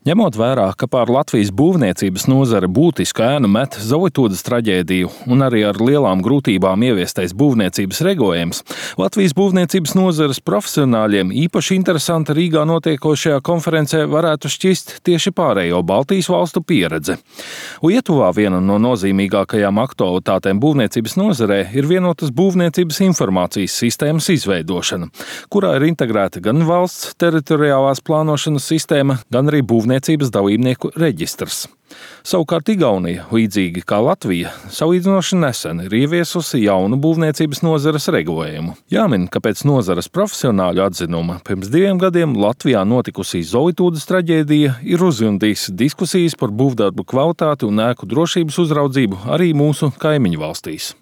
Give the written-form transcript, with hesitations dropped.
Ņemot vērā, ka pār Latvijas būvniecības nozare būtisku ēnu met Zovitūdas traģēdiju un arī ar lielām grūtībām ieviestais būvniecības regulējums, Latvijas būvniecības nozares profesionāļiem īpaši interesanta Rīgā notiekošajā konferencē varētu šķist tieši pārējo Baltijas valstu pieredze. Lietuvā viena no nozīmīgākajām aktualitātēm būvniecības nozarē ir vienotas būvniecības informācijas sistēmas izveidošana, kurā ir integrēta gan valsts teritoriālās plānošanas sistēma, gan arī būvniecības dalībnieku reģistrs. Savukārt Igaunija, līdzīgi kā Latvija, salīdzinoši nesen ir ieviesusi jaunu būvniecības nozares regulējumu. Jāmin, ka pēc nozares profesionāļu atzinuma pirms 2 gadiem Latvijā notikusī Zovitūdas traģēdija ir uzjundījusi diskusijas par būvdarbu kvalitāti un ēku drošības uzraudzību arī mūsu kaimiņu valstīs.